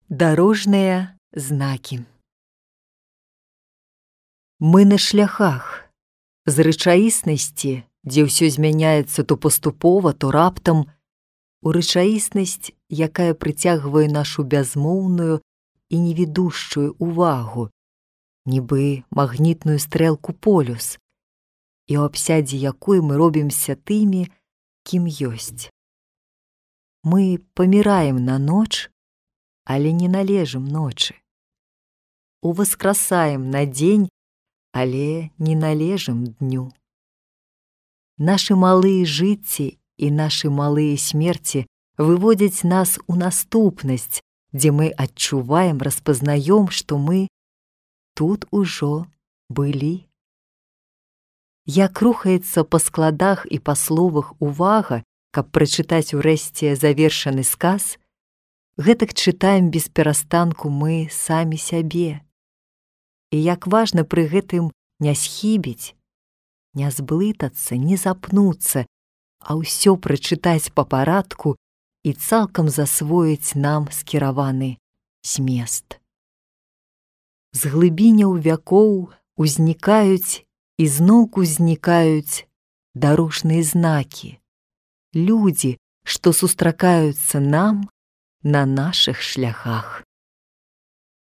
Дарожныя знакі. Мы на шляхах з рэчаіснасці, дзе ўсё змяняецца то паступова, то раптам, у рэчаіснасць, якая прыцягвае нашу бязмоўную і невідушчую увагу, нібы магнітную стрэлку полюс, і ў абсядзе якой мы робімся тымі, кім ёсць. Мы паміраем на ноч, але не належым ночы. Уваскрасаем на дзень, але не належым дню. Нашы малыя жыцці і нашы малыя смерці выводзяць нас у наступнасць, дзе мы адчуваем, распазнаём, што мы тут ужо былі. Як рухаецца па складах і па словах увага, каб прачытаць урэшце завершаны сказ, гэтак чытаем без перастанку мы самі сябе. І як важна пры гэтым не схібіць, не зблытацца, не запнуцца, а ўсё прачытаць па парадку і цалкам засвоіць нам скіраваны змест. З глыбіняў вякоў узнікаюць і зноўку знікаюць дарожныя знакі, людзі, што сустракаюцца нам на нашых шляхах.